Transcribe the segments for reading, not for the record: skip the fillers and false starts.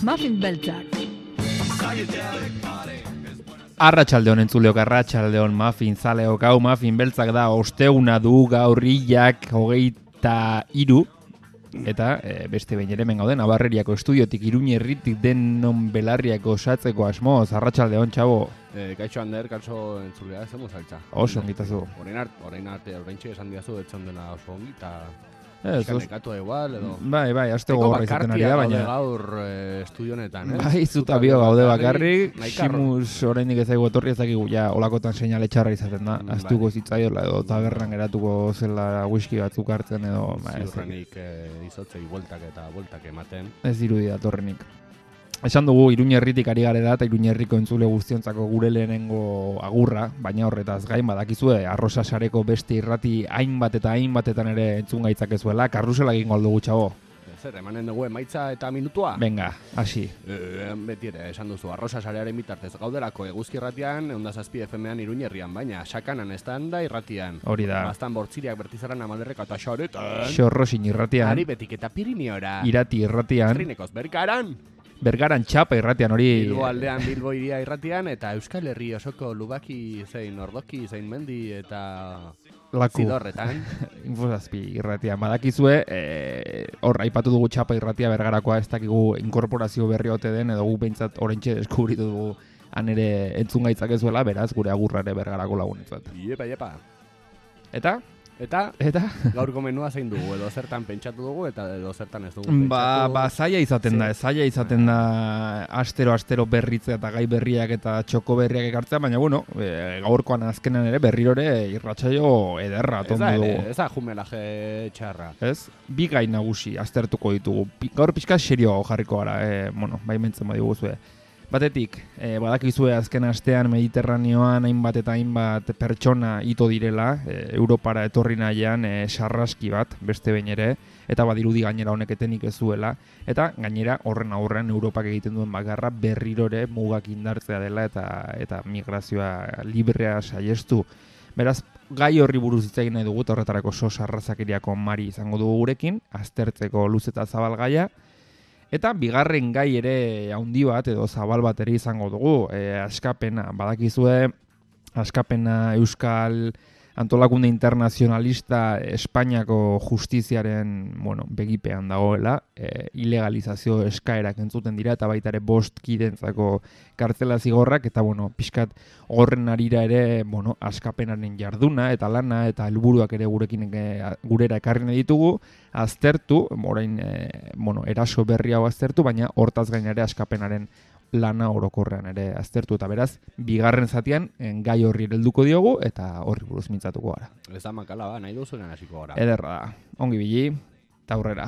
Muffin beltzak. Arratsaldeon entzuleok, arratsaldeon muffin zaleok, hau muffin beltzak da, osteguna du gaur hilak 23, eta beste behin ere hemen gauden Abarreriako estudiotik Iruñerritik denon belarriak osatzeko asmoz. Arratsaldeon, txabo. Kaixo Ander, kaixo entzulea, ez emu saltza. Oso ongitazu. Orain arte, oraintxe esan diazu, etxon dena oso ongi, eta nekatu igual, edo... Bai, aste gogorra izaten ari da, baina... gaur estudio honetan, ez? Bai, zuta bio gaude bakarrik, Simus orainik ez daigu etorri, ez dakigu ja olakotan seinale txarra izaten da, astuko zitzaiola edo tabernan geratuko zela whisky batzuk hartzen edo... Ziurrenik izotzei bueltak ematen. Ez dirudi datorrenik. Esan dugu Iruñerritik ari garela eta Iruñerriko entzule guztiontzako gure lehenengo agurra, baina horretaz gain badakizue Arrosa sareko beste irrati hainbatetan ere entzun gaitzakezuela, karrusela egingo aldugu, txabo. Zer, emanen dugu emaitza eta minutua? Venga, hasi. Beti ere, esan duzu, Arrosa sarearen bitartez gauderako Eguzki irratian, 107 FM-an Iruñerrian, baina Sakanan estanda irratian. Hori da. Bastan Bortziriak Bertizaran Amalderreka eta Xoretan. Xorrosin irratian. Aribetik eta Pirineora. Irati irratian. Trinekoz Berkaran. Bergaran txapa irratian, hori... Bilbo aldean Bilbo iria irratian, eta Euskal Herri osoko Lubaki, zein Ordoki, zein Mendi, eta... Laku. Zidorretan. Infozazpi irratian. Badakizue, hor, aipatu dugu txapa irratia Bergarakoa, ez dakigu inkorporazio berri ote den, edo gu behintzat oraintxe deskubritu dugu han ere entzun gaitzakezuela, beraz, gure agurrare Bergarako lagunetzat. Iepa. Eta? Gaurko menua zein dugu, edo zertan pentsatu dugu, eta edo zertan ez dugu pentsatu. Zaila izaten da, astero berritzea eta gai berriak eta txoko berriak ekartzea, baina gaurkoan azkenan ere berrirore irratsaio ederra tondu dugu. Ez da jumelaje txarra. Ez? Bi gai nagusi aztertuko ditugu. Gaur pixka serioago jarriko gara, bai mentzen badiguzue. Batetik, badakizue azken astean Mediterraneoan hainbat pertsona ito direla, Europara etorri nahian sarraski bat, beste behin ere, eta badirudi gainera honek etenik ez zuela, eta gainera horren aurrean Europak egiten duen bakarra berrirore mugak indartzea dela eta migrazioa librea saiestu. Beraz, gai horri buruz hitz egin nahi dugu, eta horretarako sos arrazakeriako Mari izango dugu gurekin, aztertzeko luze eta zabal gaia. Eta bigarren gai ere handi bat edo zabal bat ere izango dugu, askapena, badakizue, askapena Euskal Antolakunde Internazionalista Espainiako justiziaren, begipean dagoela, ilegalizazio eskaerak entzuten dira eta baita ere 5 kidentzako kartzela zigorrak eta pixkat horren arira ere, askapenaren jarduna eta lana eta helburuak ere gurera ekarri nahi ditugu, aztertu, orain eraso berri hau aztertu, baina hortaz gain ere askapenaren lana orokorrean ere aztertu eta beraz, bigarren zatian gai horri helduko diogu eta horri buruz mintzatuko gara. Ez da makala ba, nahi duzunen hasiko gara. Ederra da, ongi bili, eta aurrera.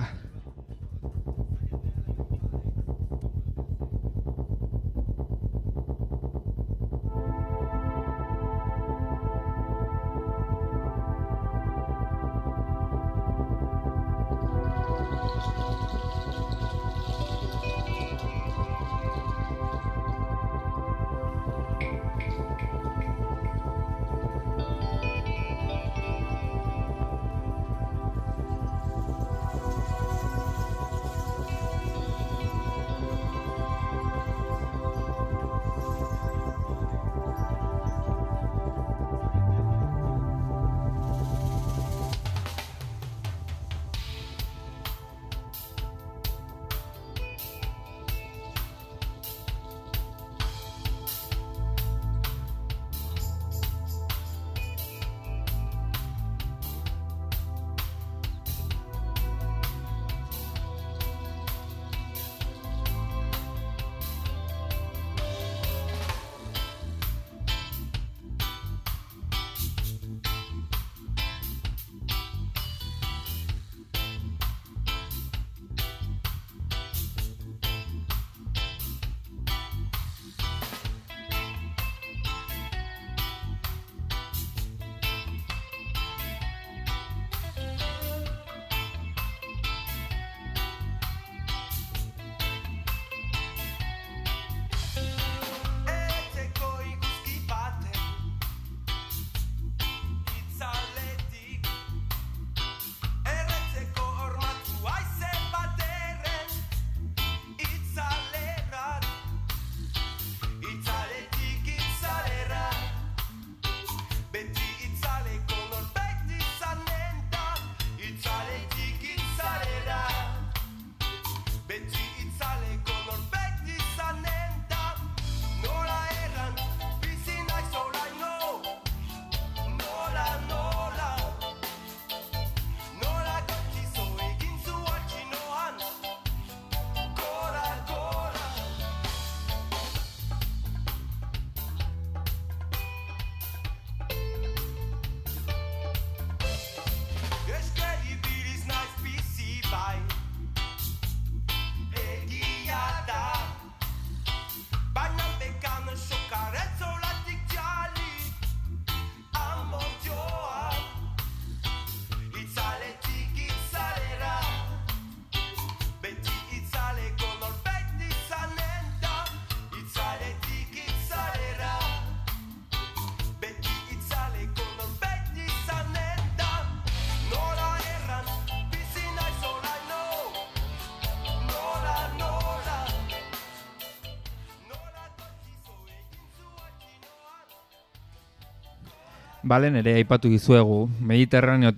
Balen ere aipatu dizuegu, Mediterraneo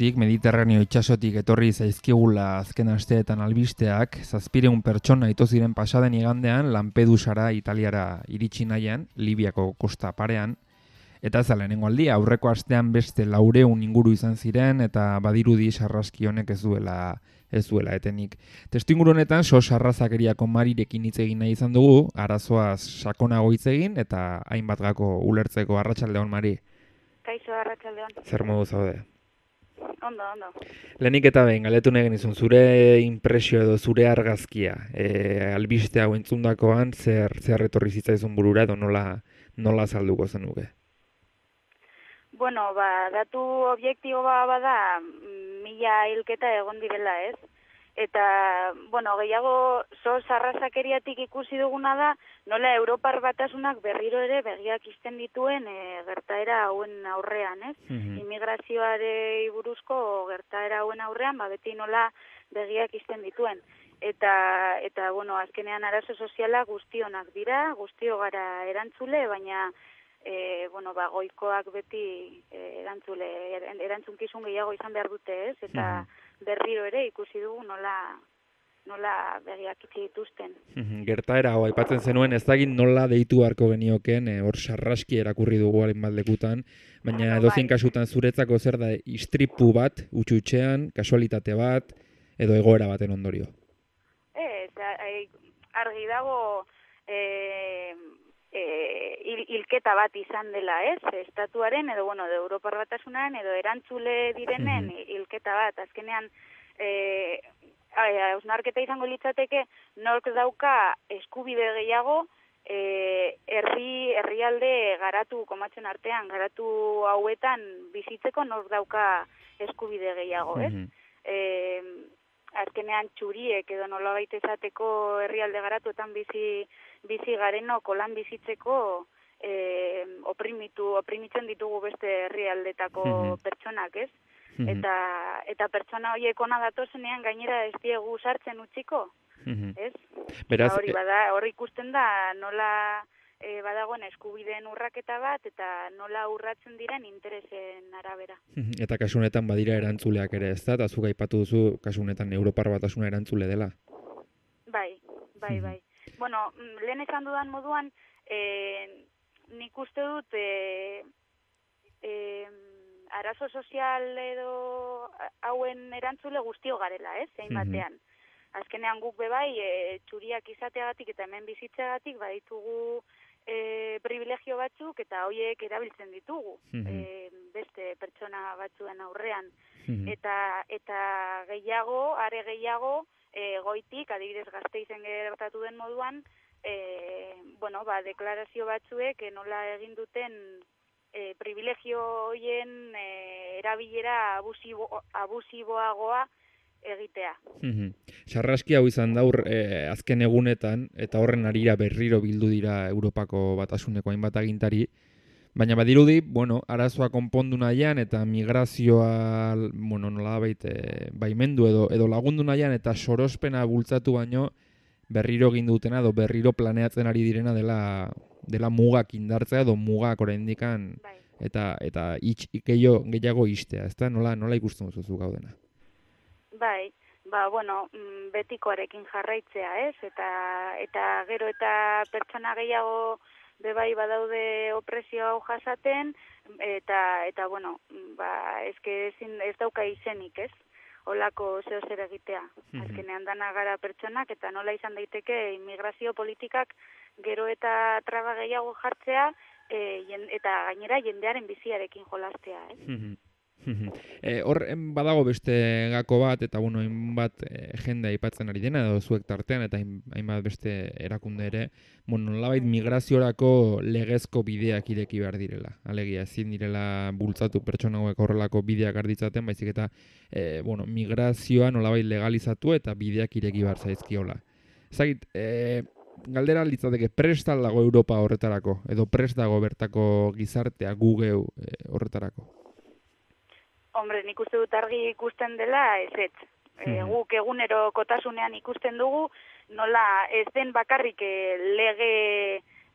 itsasotik etorri zaizkigula azken asteetan albisteak, 700 pertsona ito ziren pasaden igandean Lampedusara Italiara iritsi nahian, Libiako kosta parean, eta ez da lehenengo aldia, aurreko astean beste 400 inguru izan ziren eta badirudi sarraski honek ez duela etenik. Testuinguru honetan sarrazakeriako Marirekin hitz egin nahi izan dugu, arazoaz sakonago hitz egin eta hainbat gako ulertzeko. Arratsaldeon, Mari. Kaixo, arratsaldeon. Zer modu zaude? Ondo. Lehenik eta behin, galetu nahi genizun, zure impresio edo zure argazkia, albiste hau entzundakoan, zer etorri zitzaizun burura edo nola azalduko zenuke? Bueno, datu objektibo bada 1000 hilketa egon direla, ez? Eta, bueno, gehiago sarrazakeriatik ikusi duguna da, nola Europar Batasunak berriro ere begiak izten dituen gertaera hauen aurrean, ez? Immigrazioare buruzko gertaera hauen aurrean, beti nola begiak izten dituen. Eta bueno, azkenean arazo soziala guztionak dira, guztio gara erantzule, baina goikoak beti erantzunkizun gehiago izan behar dute, ez? Eta berriro ere ikusi dugu nola begiak itxi dituzten. Gertaera hau aipatzen zenuen, ez dakit nola deitu beharko genioken, hor sarraski erakurri dugu hainbat lekutan, baina edozein kasutan zuretzako zer da istripu bat, utxutxean, kasualitate bat, edo egoera baten ondorio? Argi dago hilketa bat izan dela, ez? Estatuaren edo de Europar Batasunaren edo erantzule direnen hilketa bat. Azkenean hausnarketa izango litzateke nork dauka eskubide gehiago herrialde garatu komatzen artean, garatu hauetan bizitzeko nork dauka eskubide gehiago, ez? Azkenean txuriek edo nolabait esateko herrialde garatuetan bizi garenok lan bizitzeko oprimitzen ditugu beste herrialdetako pertsonak, ez? Eta pertsona horiek ona datozenean gainera ez diegu sartzen utziko, ez? Beraz, hor ikusten da nola badagoen eskubideen urraketa bat eta nola urratzen diren interesen arabera. Eta kasu honetan badira erantzuleak ere, ez da? Eta zuk aipatu duzu kasu honetan Europar Batasuna erantzule dela. Bai. Bueno, lehen esan dudan moduan, nik uste dut arazo sozial edo hauen erantzule guztio garela, ez? Zein batean. Azkenean guk bebai, txuriak izateagatik eta hemen bizitzeagatik baditugu privilegio batzuk eta horiek erabiltzen ditugu beste pertsona batzuen aurrean. Eta gehiago, are gehiago, goitik, adibidez Gasteizen gertatu den moduan, deklarazio batzuek nola egin duten privilegio horien erabilera abusiboagoa egitea. Sarraski hau izan daur azken egunetan, eta horren arira berriro bildu dira Europako Batasuneko hainbat agintari, baina badirudi, arazoa konpondu nahian eta migrazioa, nolabait baimendu edo lagundu nahian eta sorospena bultzatu baino berriro egin dutena edo berriro planeatzen ari direna dela mugak indartzea edo mugak oraindikan eta gehiago istea, ezta? Nola ikusten duzu gaudena? Bai, betikoarekin jarraitzea, ez? Eta gero eta pertsona gehiago bebai badaude opresio hau jasaten, eta ez dauka izenik, ez? Olako zeo zer egitea. Azkenean dana gara pertsonak, eta nola izan daiteke immigrazio politikak gero eta traba gehiago jartzea, eta gainera jendearen biziarekin jolastea, ez? Hor badago beste gako bat, eta hainbat jende aipatzen ari dena, edo zuek tartean, eta hainbat beste erakunde ere, nolabait migraziorako legezko bideak ireki behar direla. Alegia, ezin direla bultzatu pertsona hauek horrelako bideak arditzaten, baizik eta migrazioa nolabait legalizatu eta bideak ireki behar zaizkiola. Zagit, galdera litzateke, prest al dago Europa horretarako, edo prest dago bertako gizartea gugeu horretarako? Hombre, nik uste dut argi ikusten dela, ez. Guk egunero kotasunean ikusten dugu, nola ez den bakarrik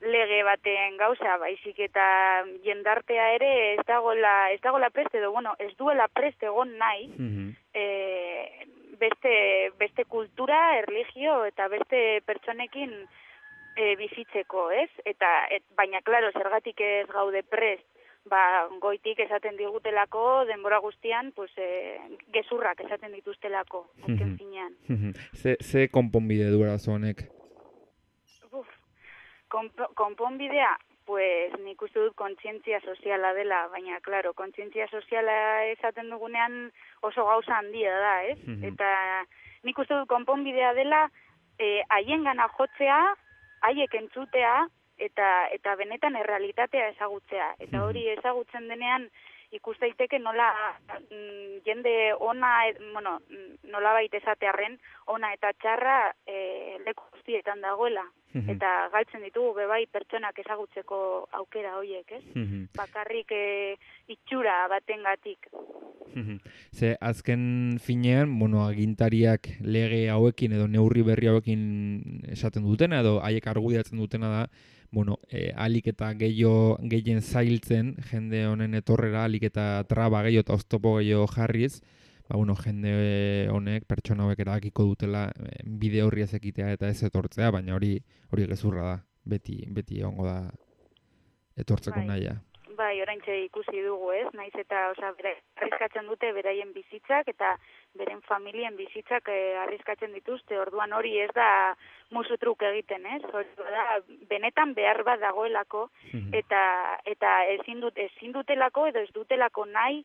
lege baten gauza, baizik eta jendartea ere ez dagoela preste edo, bueno, ez duela preste egon nahi, beste kultura, erlijio eta beste pertsonekin bizitzeko, ez? Baina, klaro, zergatik ez gaude prest, goitik esaten digutelako, denbora guztian, pues, gezurrak esaten dituztelako, azken finean. Ze konponbide du arazo honek? Konponbidea, pues nik uste dut kontzientzia soziala dela, baina, klaro, kontzientzia soziala esaten dugunean oso gauza handia da, ez? Eta nik uste dut konponbidea dela haiengana jotzea, haiek entzutea, eta benetan errealitatea ezagutzea. Eta hori ezagutzen denean ikus daiteke nola jende ona, bueno, nola baita esatearren, ona eta txarra leku guztietan dagoela. Eta galtzen ditugu bebai pertsonak ezagutzeko aukera horiek, ez? Bakarrik itxura batengatik. Ze azken finean, bueno, agintariak lege hauekin edo neurri berri hauekin esaten dutena edo haiek argudiatzen dutena da, bueno, alik eta gehien zailtzen jende honen etorrera, alik eta traba gehiago eta oztopo gehiago jarriz, bueno, jende honek, pertsona hauek erabakiko dutela bide horri ez ekitea eta ez etortzea, baina hori gezurra da, beti egongo da etortzeko nahia. Bai, oraintxe ikusi dugu, ez? Naiz eta, arriskatzen dute beraien bizitzak eta beren familien bizitzak arriskatzen dituzte. Orduan hori ez da musu truk egiten, ez? Hori da benetan behar bat dagoelako eta ezin dutelako edo ez dutelako nahi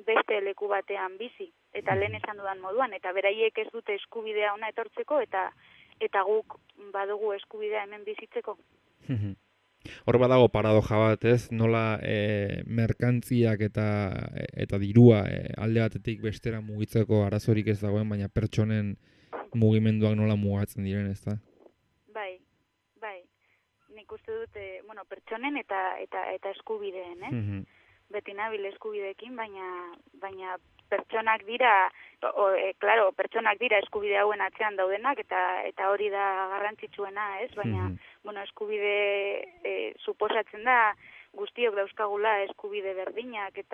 beste leku batean bizi. Eta lehen esan dudan moduan, eta beraiek ez dute eskubidea ona etortzeko eta guk badugu eskubidea hemen bizitzeko. Hor badago paradoja bat, ez? Nola merkantziak eta dirua alde batetik bestera mugitzeko arazorik ez dagoen, baina pertsonen mugimenduak nola mugatzen diren, ez da? Bai. Nik uste dut, pertsonen eta eskubideen, ez? Beti nabil eskubideekin, baina pertsonak dira, pertsonak dira eskubide hauen atzean daudenak, eta hori da garrantzitsuena, ez? Baina, eskubide suposatzen da guztiok dauzkagula eskubide berdinak,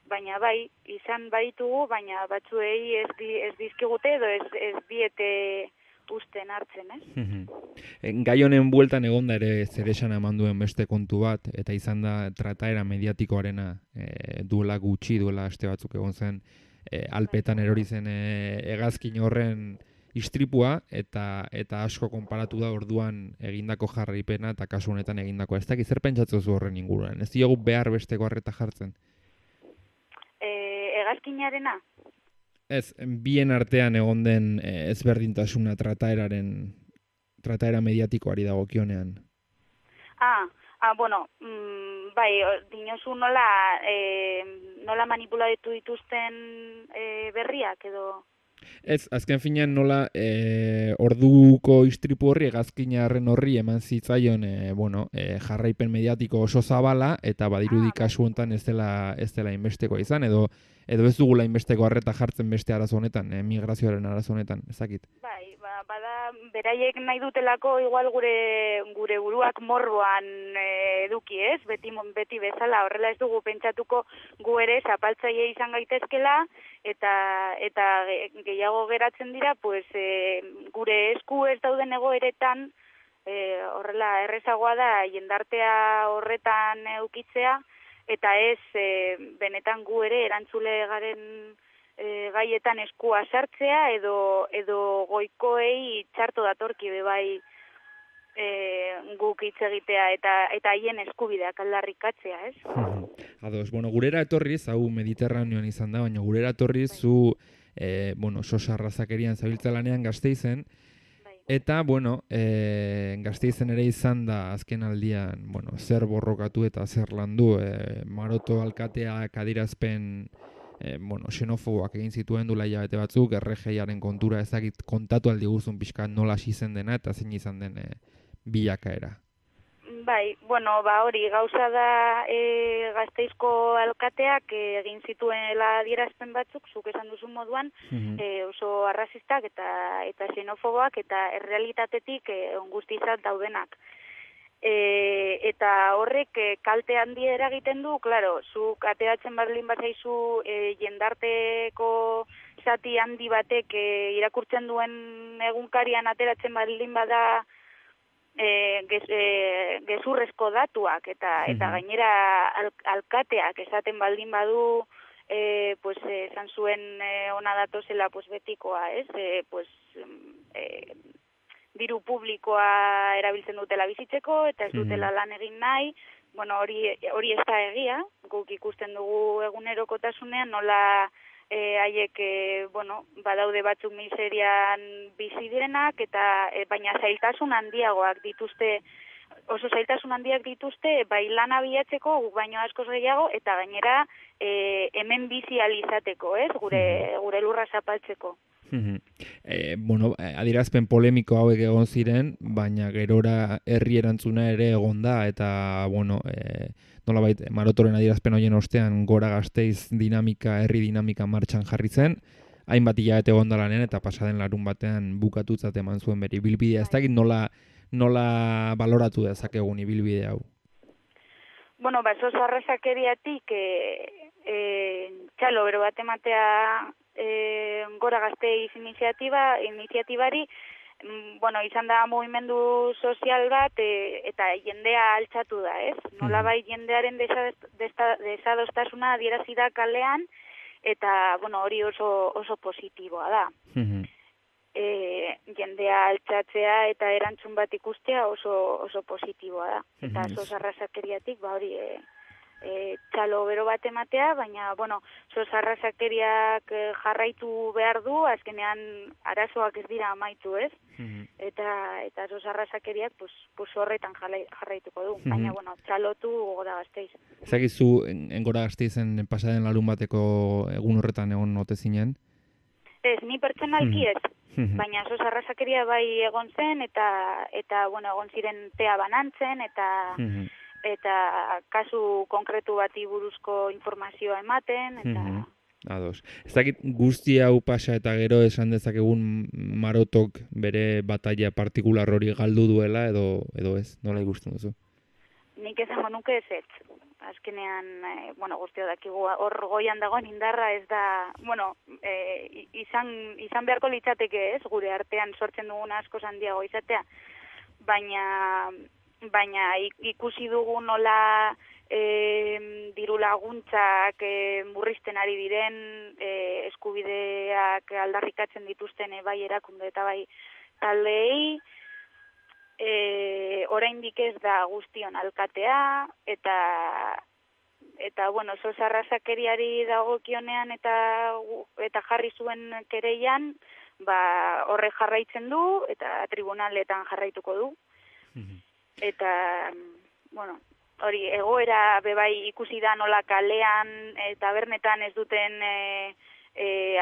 baina bai, izan baditugu, baina batzuei ez dizkigute edo ez diete usten hartzen, ez? Gai honen bueltan egonda ere zeresan eman duen beste kontu bat, eta izan da trataera mediatikoarena duela gutxi, duela aste batzuk egon zen, Alpetan erori zen hegazkin horren istripua, eta asko konparatu da orduan egindako jarraipena eta kasu honetan egindako. Ez dakit zer pentsatzen zu horren inguruan? Ez diogu behar besteko arreta jartzen? Hegazkinarena? Ez, bien artean egon den ezberdintasuna trataera mediatikoari dagokionean. Bueno, bai, dinozu nola manipulatu dituzten berriak edo... Ez, azken finean nola orduko istripu horri, hegazkinarren horri eman zitzaion jarraipen mediatiko oso zabala, eta badirudi kasu honetan ez dela inbesteko izan, edo ez dugula inbesteko arreta jartzen beste arazo honetan, migrazioaren arazo honetan, ezakit. Bai, bada beraiek nahi dutelako igual gure buruak morboan eduki, ez? Beti bezala, horrela ez dugu pentsatuko gu ere zapaltzaile izan gaitezkela, eta gehiago geratzen dira, pues, gure esku ez dauden egoeretan, horrela errezagoa da jendartea horretan eukitzea, eta ez benetan gu ere erantzule garen gaietan eskua sartzea edo goikoei txarto datorki bebai guk hitz egitea eta haien eskubideak aldarrikatzea, ez? Ados, gurera etorriz, hau Mediterraneoan izan da, baina gurera etorriz zu sosa arrazakerian zabiltza lanean Gasteizen, eta, Gasteizen ere izan da azken aldian, zer borrokatu eta zer landu, Maroto alkateak adirazpen xenofoboak egin zituen duela hilabete batzuk, erregeiaren kontura ezagit kontatu aldi guzun pixka nola hasi zen dena eta zein izan den bilakaera. Bai, bueno, hori gauza da Gasteizko alkateak egin zituela adierazpen batzuk, zuk esan duzu moduan, oso arrazistak eta xenofoboak eta errealitatetik guztizat daudenak. Eta horrek kalte handi eragiten du, claro, zuk ateratzen baldin bazaizu jendarteko zati handi batek irakurtzen duen egunkarian ateratzen baldin bada gezurrezko datuak eta gainera alkateak esaten baldin badu esan zuen ona datozela betikoa, ez? Diru publikoa erabiltzen dutela bizitzeko eta ez dutela lan egin nahi. Bueno, hori ez da egia, guk ikusten dugu egunerokotasunean nola haiek badaude batzuk miserian bizi direnak eta baina zailtasun handiagoak dituzte, oso zailtasun handiak dituzte bai lana bilatzeko guk baino askoz gehiago eta gainera hemen bizi alizateko, ez? Gure lurra zapaltzeko. Adierazpen polemiko hauek egon ziren, baina gerora herri erantzuna ere egon da eta nolabait Marotoren adierazpen horien ostean Gora Gasteiz dinamika, herri dinamika martxan jarri zen, hainbat hilabete egon da lanean eta pasaden larun batean bukatutzat eman zuen bere ibilbidea. Ez dakit nola baloratu dezakegun ibilbide hau? Bueno, sos arrazakeriatik txalo bero bat ematea Gora Gasteiz iniziatibari, izan da mugimendu sozial bat eta jendea altxatu da, ez? Nolabai jendearen desadostasuna adierazi da kalean eta hori oso positiboa da. Jendea altxatzea eta erantzun bat ikustea oso positiboa da. Eta sos arrazakeriatik hori txalo bero bat ematea, baina, sos arrazakeriak jarraitu behar du, azkenean arazoak ez dira amaitu, ez? Eta sos arrazakeriak horretan jarraituko du, baina, txalotu Gora Gasteiz. Ezagizu, Gora Gasteizen pasaden larun bateko egun horretan egon ote zinen? Ez, ni pertsonalki ez, baina sos arrazakeria bai egon zen, eta egon ziren tea banantzen, eta kasu konkretu bati buruzko informazioa ematen, eta... Ados. Ez dakit guzti hau pasa eta gero esan dezakegun Marotok bere batalla partikular hori galdu duela edo ez, nola ikusten duzu? Nik esango nuke ez. Azkenean, guztio dakigu hor goian dagoen indarra ez da, izan beharko litzateke ez, gure artean sortzen dugun asko handiago izatea, baina ikusi dugu nola diru laguntzak murrizten ari diren, eskubideak aldarrikatzen dituzten bai erakunde eta bai taldeei, oraindik ez da guztion alkatea, eta sos arrazakeriari dagokionean eta jarri zuen kereian, horre jarraitzen du eta tribunaletan jarraituko du. Eta, hori, egoera bebai ikusi da nola kalean eta tabernetan ez duten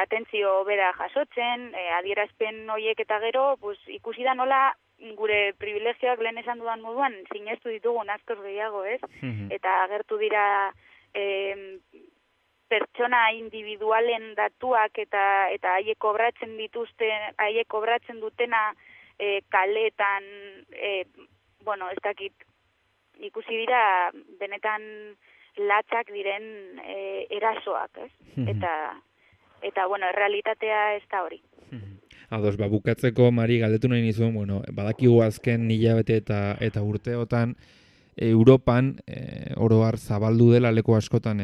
atentzio bera jasotzen, adierazpen horiek eta gero, ikusi da nola gure privilegioak lehen esan dudan moduan sinestu ditugun askoz gehiago, ez? Eta agertu dira pertsona individualen datuak eta haiek kobratzen dutena kaletan, ez dakit, ikusi dira benetan latzak diren erasoak, ez? Eta errealitatea ez da hori. Ados, bukatzeko, Mari, galdetu nahi nizuen, badakigu azken hilabete eta urteotan Europan oro har zabaldu dela leku askotan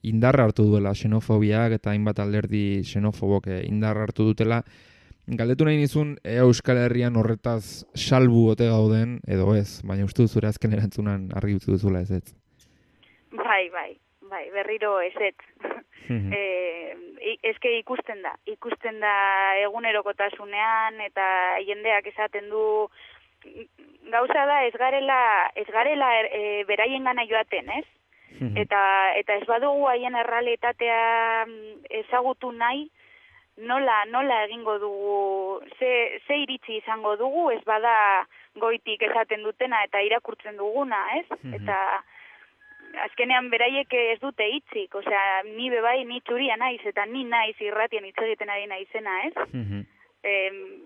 indarra hartu duela xenofobiak eta hainbat alderdi xenofobok indarra hartu dutela. Galdetu nahi nizun Euskal Herrian horretaz salbu ote gauden edo ez, baina uste duzure azken erantzunan argi utzi duzula ez ez? Bai, berriro ez ez. Eske ikusten da egunerokotasunean eta jendeak esaten du gauza da ez garela beraiengana joaten, ez? Eta ez badugu haien errealitatea ezagutu nahi, nola egingo dugu, ze iritzi izango dugu, ez bada goitik esaten dutena eta irakurtzen duguna, ez? Eta azkenean beraiek ez dute hitzik, osea, ni bebai, ni txuria naiz, eta ni naiz irratian hitz egiten ari naizena, ez?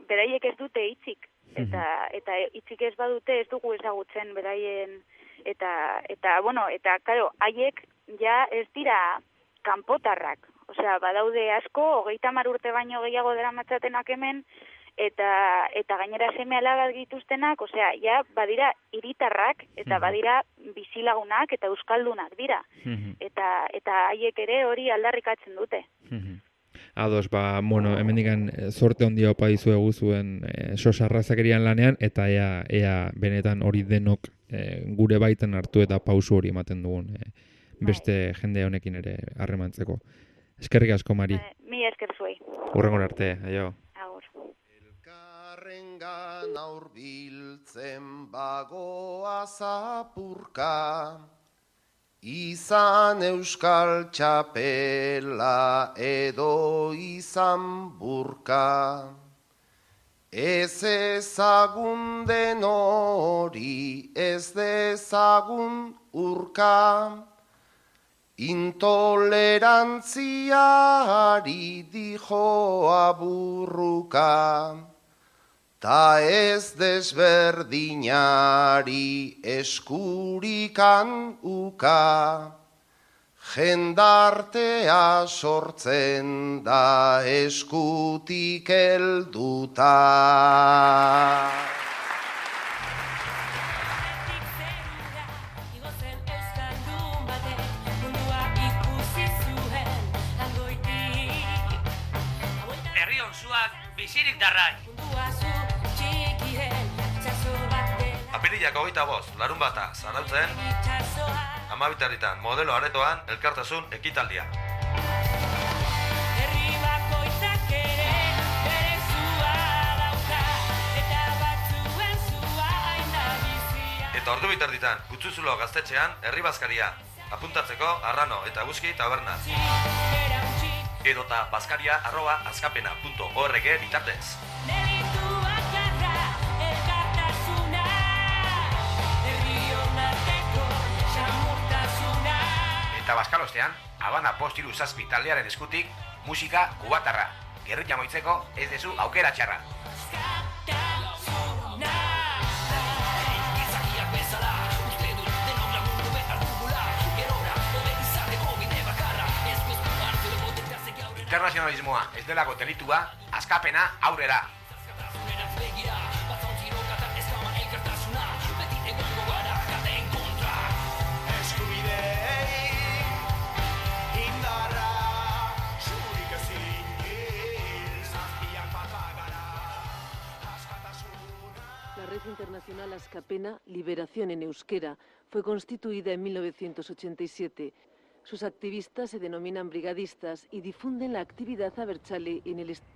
Beraiek ez dute hitzik, eta hitzik ez badute ez dugu ezagutzen beraien, eta claro, haiek ja ez dira kanpotarrak, osea, badaude asko, 30 urte baino gehiago daramatzatenak hemen, eta gainera seme alabak dituztenak, osea, ja badira hiritarrak eta badira bizilagunak eta euskaldunak dira. Eta haiek ere hori aldarrikatzen dute. Ados, hemendikan sorte handia opa dizuegu zuen sos arrazakerian lanean, eta ea benetan hori denok gure baiten hartu eta pausu hori ematen dugun beste jende honekin ere harremantzeko. Eskerrik asko, Mari. Mi esker zuei. Hurrengora arte, aio. Agur. Elkarrengan aurbiltzen bagoa zapurka, izan euskal txapela edo izan burka. Ez ezagun den hori, ez dezagun urka, intolerantziari dijoa burruka, ta ez desberdinari eskurikan uka, jendartea sortzen da eskutik helduta. Bizirik darrai. Apirilak 25, larunbata, Zarautzen, 12 modelo aretoan elkartasun ekitaldia. Eta ordu bitarditan, Kutzuzulo gaztetxean, herri bazkaria. Apuntatzeko Arrano eta Guzki taberna. Edota bazkaria@azkapena.org bitartez. Eta bazkalostean, Habana Postiru Zazpi taldearen eskutik, musika kubatarra. Gerrilla moitzeko ez dezu aukera txarra. Internazionalismoa ez delako delitua, Askapena aurrera. La Red Internacional Askapena, Liberación en Euskera, fue constituida en 1987. Sus activistas se denominan brigadistas y difunden la actividad abertzale en el estado.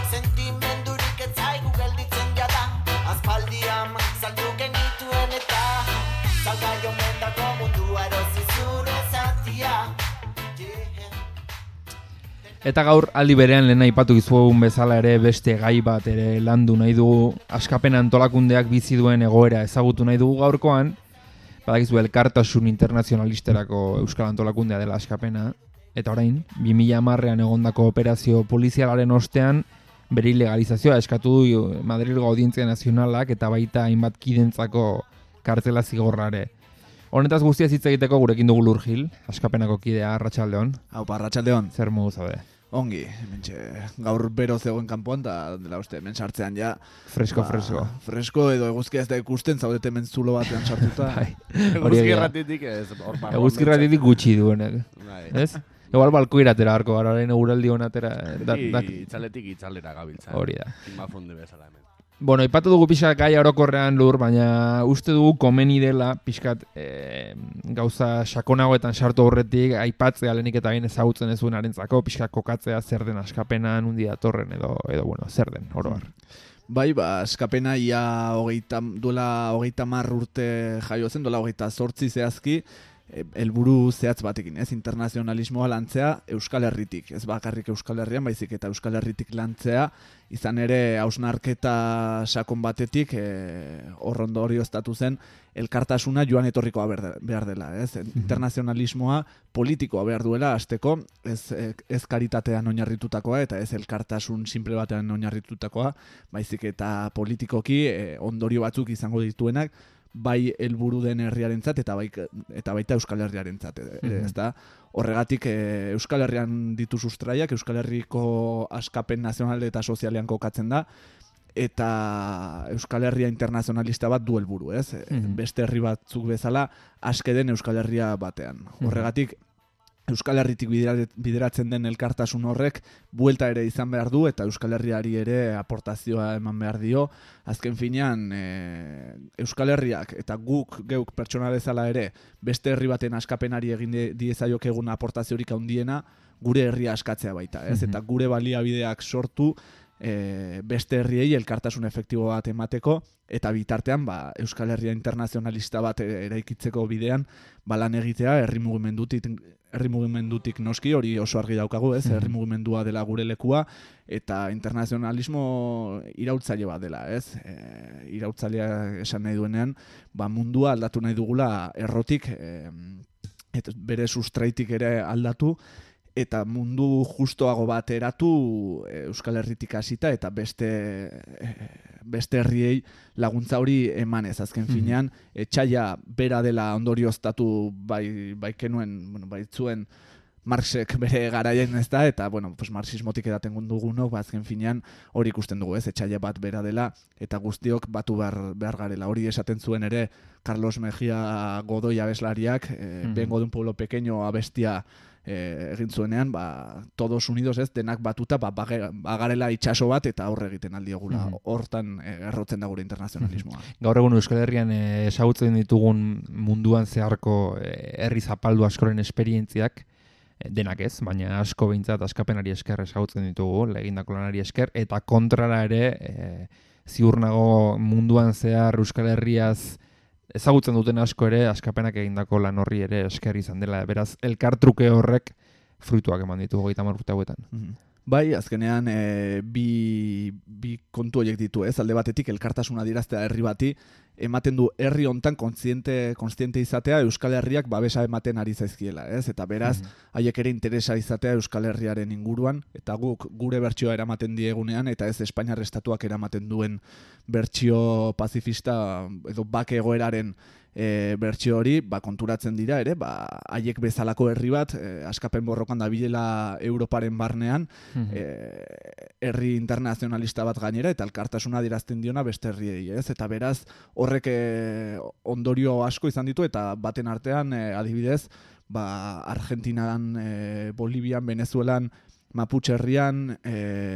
Sentimiento Eta gaur aldi berean lehen aipatu dizuegun bezala ere beste gai bat ere landu nahi dugu, askapen antolakundeak bizi duen egoera ezagutu nahi dugu gaurkoan, badakizu elkartasun internazionalisterako euskal antolakundea dela askapena, eta orain, 2010ean egondako operazio polizialaren ostean, bere ilegalizazioa eskatu du Madrilgo Audientzia Nazionalak eta baita hainbat kidentzako kartzela zigorrare. Honetaz guztiaz hitz egiteko gurekin dugu Lur Gil, askapenako kidea, arratsaldeon. Aupa, arratsaldeon. Zer modu zaude? Ongi, gaur bero zegoen kanpoan, eta dela uste, hemen sartzean ja... Fresko. Fresko edo eguzkia ez da ikusten, zaudete hemen zulo batean sartuta. Eguzki erratitik ez. Eguzki erratitik gutxi duenek. Ez? Igual balko iratera harko gara, orain eguraldi honatera... Itzaletik itzalera gabiltza. Hori da. Zimafunde bezala hemen. Bueno, ipatu dugu pixkat gai orokorrean Lur, baina uste dugu komeni dela pixkat gauza sakonagoetan sartu horretik aipatzea lehenik eta bain ezagutzen ez duenarentzako pixkat kokatzea zer den askapena, nundi datorren edo bueno, zer den, oro har. Bai, askapena ia duela 30 urte jaio zen, duela 28 zehazki, helburu zehatz batekin, ez? Internazionalismoa lantzea Euskal Herritik, ez bakarrik Euskal Herrian, baizik eta Euskal Herritik lantzea, izan ere hausnarketa sakon batetik hor ondorioztatu zen elkartasuna joan etorrikoa behar dela, ez? Internazionalismoa politikoa behar duela hasteko, ez karitatean oinarritutakoa eta ez elkartasun simple batean oinarritutakoa, baizik eta politikoki ondorio batzuk izango dituenak, bai helburu den herriarentzat eta baita Euskal Herriarentzat ere, ezta? Horregatik Euskal Herrian ditu sustraiak, Euskal Herriko askapen nazional eta sozialean kokatzen da, eta Euskal Herria internazionalista bat du helburu, ez? Beste herri batzuk bezala aske den Euskal Herria batean. Horregatik Euskal Herritik bideratzen den elkartasun horrek buelta ere izan behar du eta Euskal Herriari ere aportazioa eman behar dio. Azken finean Euskal Herriak eta geuk pertsona bezala ere beste herri baten askapenari egin diezaiok egun aportaziorik handiena gure herria askatzea baita, ez? Eta gure baliabideak sortu beste herriei elkartasun efektibo bat emateko eta bitartean Euskal Herria internazionalista bat eraikitzeko bidean lan egitea herri mugimendutik noski hori oso argi daukagu, ez? Herri mugimendua dela gure lekua eta internazionalismo iraultzaile bat dela, ez? Iraultzailea esan nahi duenean, mundua aldatu nahi dugula errotik bere sustraitik ere aldatu eta mundu justoago bat eratu Euskal Herritik hasita eta beste herriei laguntza hori emanez. Azken finean, etxaila bera dela ondorioztatu baitzuen Marxek bere garaien, ez da, eta, marxismotik edaten dugunok, azken finean hori ikusten dugu, ez, etxaila bat bera dela, eta guztiok batu behar garela. Hori esaten zuen ere Carlos Mejía Godoy abeslariak, vengo de un pueblo pequeño abestia egin zuenean, todos unidos, ez, denak batuta, bagarela itxaso bat eta aurre egiten aldiogula. Hortan errotzen da gure internazionalismoa. Gaur egun Euskal Herrian ezagutzen ditugun munduan zeharko herri zapaldu askoren esperientziak, denak ez, baina asko behintzat askapenari esker ezagutzen ditugu, egindako lanari esker, eta kontrara ere ziur nago munduan zehar Euskal Herriaz ezagutzen duten asko ere askapenak egindako lan horri ere esker izan dela. Beraz, elkartruke horrek fruituak eman ditugu 30 urte hauetan. Bai, azkenean bi kontu horiek ditu, ez? Alde batetik elkartasuna adieraztea herri bati, ematen du herri hontan kontziente izatea Euskal Herriak babesa ematen ari zaizkiela, ez? Eta beraz, haiek ere interesa izatea Euskal Herriaren inguruan, eta guk gure bertsioa eramaten diegunean, eta ez Espainiar estatuak eramaten duen bertsio pazifista edo bake egoeraren bertsio hori, konturatzen dira ere, haiek bezalako herri bat, askapen borrokan dabilela Europaren barnean, herri internazionalista bat gainera, eta elkartasuna adierazten diona beste herriei, ez? Eta beraz, horrek ondorio asko izan ditu, eta baten artean, adibidez, Argentinan, Bolivian, Venezuelan, Mapuche herrian,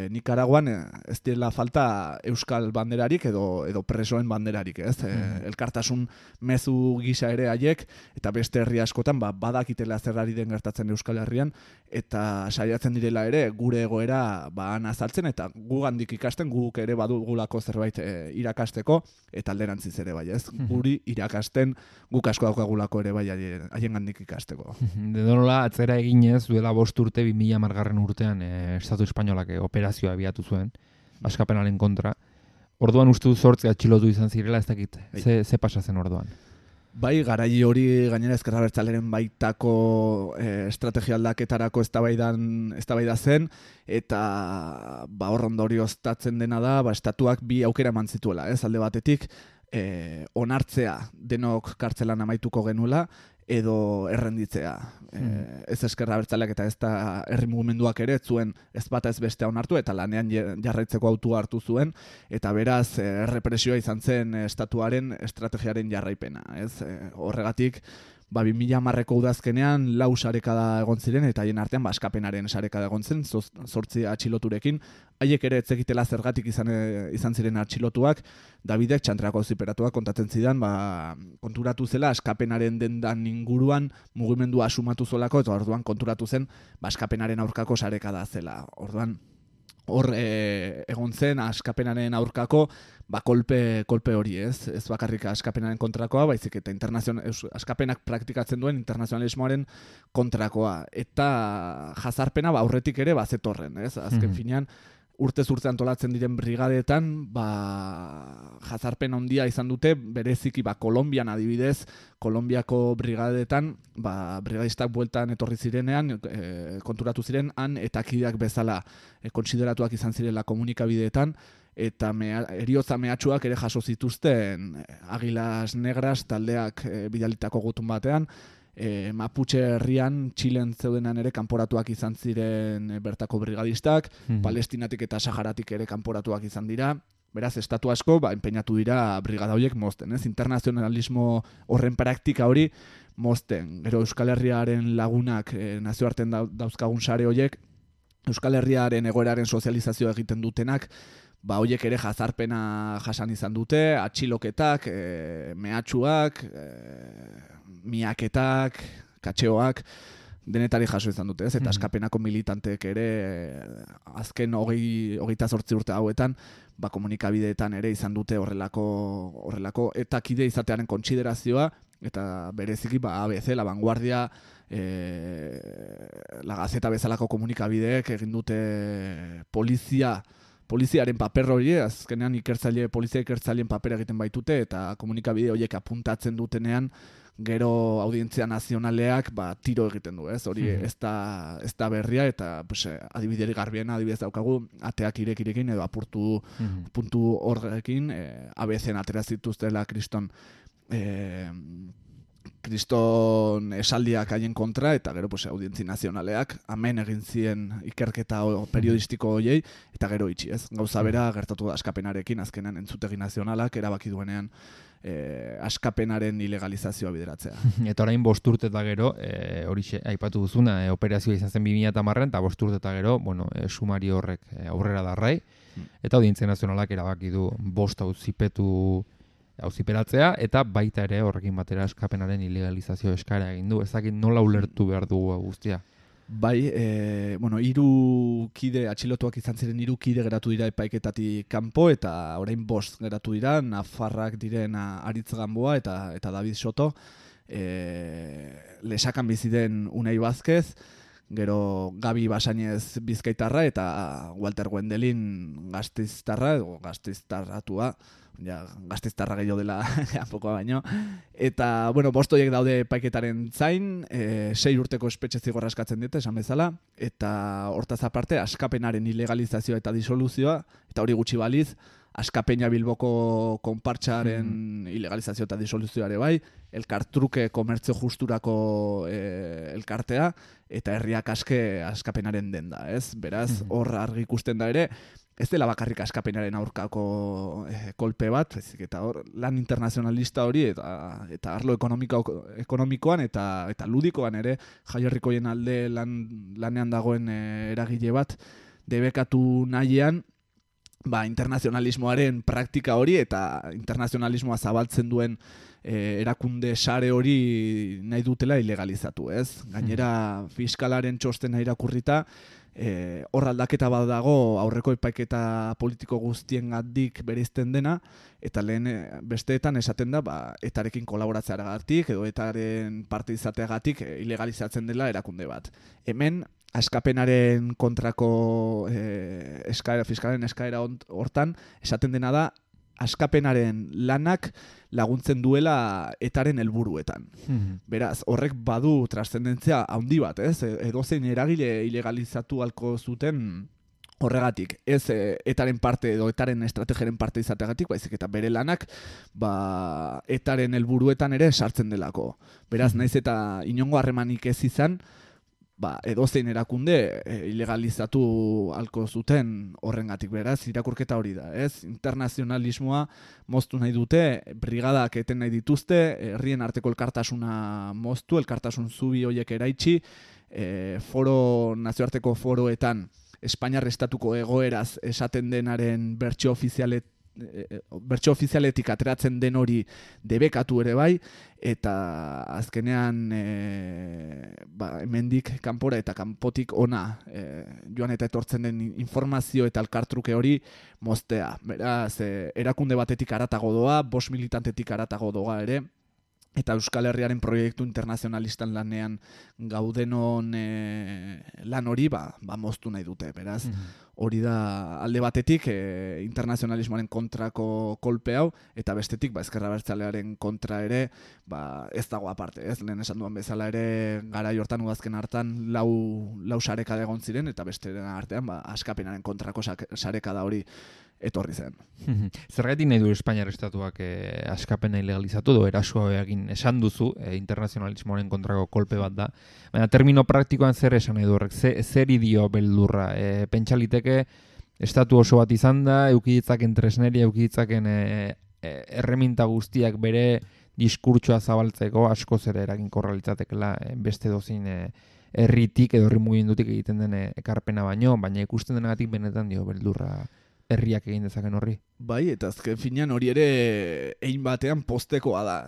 Nicaraguan, ez dela falta euskal banderarik edo presoen banderarik, ez? Elkartasun mezu gisa ere haiek, eta beste herri askotan badakitela zer ari den gertatzen Euskal Herrian, eta saiatzen direla ere gure egoera azaltzen, eta gugandik ikasten, guk ere badugulako zerbait irakasteko, eta alderantziz ere bai, ez? Guri irakasten guk asko daukagulako ere bai haiengandik ikasteko. Dedonola atzera eginez, duela 5 urte 2010 urtean zuenean Estatu Espainolak operazioa abiatu zuen, askapenaren kontra. Orduan uste du 8 atxilotu izan zirela, ez dakit, ze pasa zen orduan? Bai, garai hori gainera ezker abertzaleren baitako estrategia aldaketarako eztabaida zen, eta hor ondorioztatzen dena da, estatuak bi aukera eman zituela, alde batetik, onartzea denok kartzelan amaituko genuela, edo errenditzea. Ez eskerra abertzaleak eta ez da herri mugimenduak ere, zuen ez bata ez bestea onartu, eta lanean jarraitzeko autua hartu zuen, eta beraz errepresioa izan zen estatuaren estrategiaren jarraipena. Horregatik, 2010ko udazkenean 4 sarekada egon ziren, eta haien artean askapenaren sarekada egon zen, 8 atxiloturekin. Haiek ere etzekitela zergatik izan ziren atxilotuak, Davidek txantrako ziperatuak kontatzen zidan, konturatu zela askapenaren dendan inguruan mugimendua asumatu zolako, eta orduan konturatu zen askapenaren aurkako sarekada zela. Orduan, hor egon zen askapenaren aurkako kolpe hori, ez bakarrik askapenaren kontrakoa, baizik eta askapenak praktikatzen duen internazionalismoaren kontrakoa. Eta jazarpena aurretik ere bazetorren, ez? Azken finean, urtez urte antolatzen diren brigadeetan, jazarpen handia izan dute, bereziki Kolonbian adibidez, Kolonbiako brigadeetan, brigadistak bueltan etorri zirenean, konturatu ziren, han eta kideak bezala kontsideratuak izan zirela komunikabideetan, eta heriotza mehatxuak ere jaso zituzten Águilas Negras taldeak bidalitako gutun batean, Mapuche herrian, Txilen zeudenan ere kanporatuak izan ziren bertako brigadistak, Palestinatik eta Saharatik ere kanporatuak izan dira. Beraz, estatu asko enpeinatu dira brigada horiek mozten, internazionalismo horren praktika hori mozten. Gero Euskal Herriaren lagunak nazioartean dauzkagun sare horiek, Euskal Herriaren egoeraren sozializazioa egiten dutenak, horiek ere jazarpena jasan izan dute, atxiloketak, mehatxuak, miaketak, katxeoak, denetari jaso izan dute, eta askapenako militanteek ere azken 28 urte hauetan, komunikabideetan ere izan dute horrelako eta kide izatearen kontsiderazioa, eta bereziki ABC, La Vanguardia, La Gazeta bezalako komunikabideek egin dute poliziaren paper hori, azkenean polizia ikertzaileen paper egiten baitute, eta komunikabide horiek apuntatzen dutenean, gero audientzia nazionaleak tiro egiten du, hori ez da berria, eta adibideri garbiena adibidez daukagu, ateak irekirekin edo apurtu puntu horrekin, ABC-en atera zituztela Kriston esaldiak haien kontra, eta gero audientzi nazionaleak amen egin zien ikerketa periodistiko horiei, eta gero itxi, ez? Gauza bera gertatu da askapenarekin, azkenean entzutegi nazionalak erabaki duenean askapenaren ilegalizazioa bideratzea. Eta orain 5 urte eta gero, hori aipatu duzuna, operazioa izan zen 2010 eta 5 urte eta gero, sumari horrek aurrera darrai, eta audientzia nazionalak erabaki du 5 auziperatzea, eta baita ere horrekin batera askapenaren ilegalizazio eskara egin du. Ezakit nola ulertu behar dugu guztia? Bai, 3 kide atxilotuak izan ziren 3 kide geratu dira epaiketatik kanpo, eta orain 5 geratu dira, Nafarrak diren Aritz Gamboa eta David Soto, Lesakan bizi den Unai Vázquez, gero Gabi Basainez Bizkaitarra eta Walter Wendelin Gasteiztarra, edo Gasteiztarratua, Gasteiztarra gehiago dela pokoa baino. Eta, 5 horiek daude epaiketaren zain, 6 urteko espetxe zigorra eskatzen dute, esan bezala, eta hortaz aparte, askapenaren ilegalizazioa eta disoluzioa, eta hori gutxi baliz, Askapena Bilboko konpartsaren ilegalizazio eta disoluzioare bai, elkartruke komertzio justurako elkartea, eta herriak askapenaren denda, ez? Beraz, hor argi ikusten da ere, ez dela bakarrik askapenaren aurkako kolpe bat, eta hor lan internazionalista hori, eta arlo ekonomikoan eta ludikoan ere, jaierrikoien alde lanean dagoen eragile bat, debekatu nahian, internazionalismoaren praktika hori eta internazionalismoa zabaltzen duen erakunde sare hori nahi dutela ilegalizatu, ez? Gainera, fiskalaren txostena irakurrita, hor aldaketa bat dago aurreko epaiketa politiko guztiengatik bereizten dena, eta lehen besteetan esaten da etarekin kolaboratzeagatik edo etaren parte izateagatik ilegalizatzen dela erakunde bat. Hemen askapenaren kontrako fiskalen eskaera hortan, esaten dena da, askapenaren lanak laguntzen duela etaren helburuetan. Beraz, horrek badu trascendentzia handi bat, ez? Edozein eragile ilegalizatu halko zuten horregatik, ez etaren parte edo etaren estrategiaren parte izateagatik, baizik eta bere lanak etaren helburuetan ere sartzen delako. Beraz, naiz eta inongo harremanik ez izan, edozein erakunde ilegalizatu halko zuten horrengatik. Beraz, irakurketa hori da, ez? Internazionalismoa moztu nahi dute, brigadak eten nahi dituzte, herrien arteko elkartasuna moztu, elkartasun zubi horiek eraitsi, nazioarteko foroetan Espainiar estatuko egoeraz esaten denaren bertsio ofizialetik ateratzen den hori debekatu ere bai, eta azkenean hemendik kanpora eta kanpotik ona joan eta etortzen den informazio eta elkartruke hori moztea. Beraz, erakunde batetik haratago doa, 5 militantetik haratago doa ere, eta Euskal Herriaren proiektu internazionalistan lanean gaudenon lan hori moztu nahi dute. Beraz, hori da alde batetik internazionalismoaren kontrako kolpe hau, eta bestetik ezker abertzalearen kontra ere ez dago aparte. Ez lehen esan duan bezala ere garai hortan udazken hartan lau sarekada egon ziren, eta beste artean askapenaren kontrako sarekada hori etorri zen. Zergatik nahi du Espainiar estatuak askapena ilegalizatu edo erasua egin esan duzu, internazionalismoaren kontrako kolpe bat da. Baina termino praktikoan zer esan nahi du horrek, zer idio beldurra? Pentsa liteke estatu oso bat izan da, eukiditzaken tresneria, eukiditzaken erreminta guztiak bere diskurtsoa zabaltzeko askoz ere eraginkorra litzatekela beste dozin herritik edo herri mugimendutik egiten den ekarpena baina ikusten denagatik benetan dio beldurra herriak egin dezaken horri. Bai, eta azken finean hori ere egin batean postekoa da.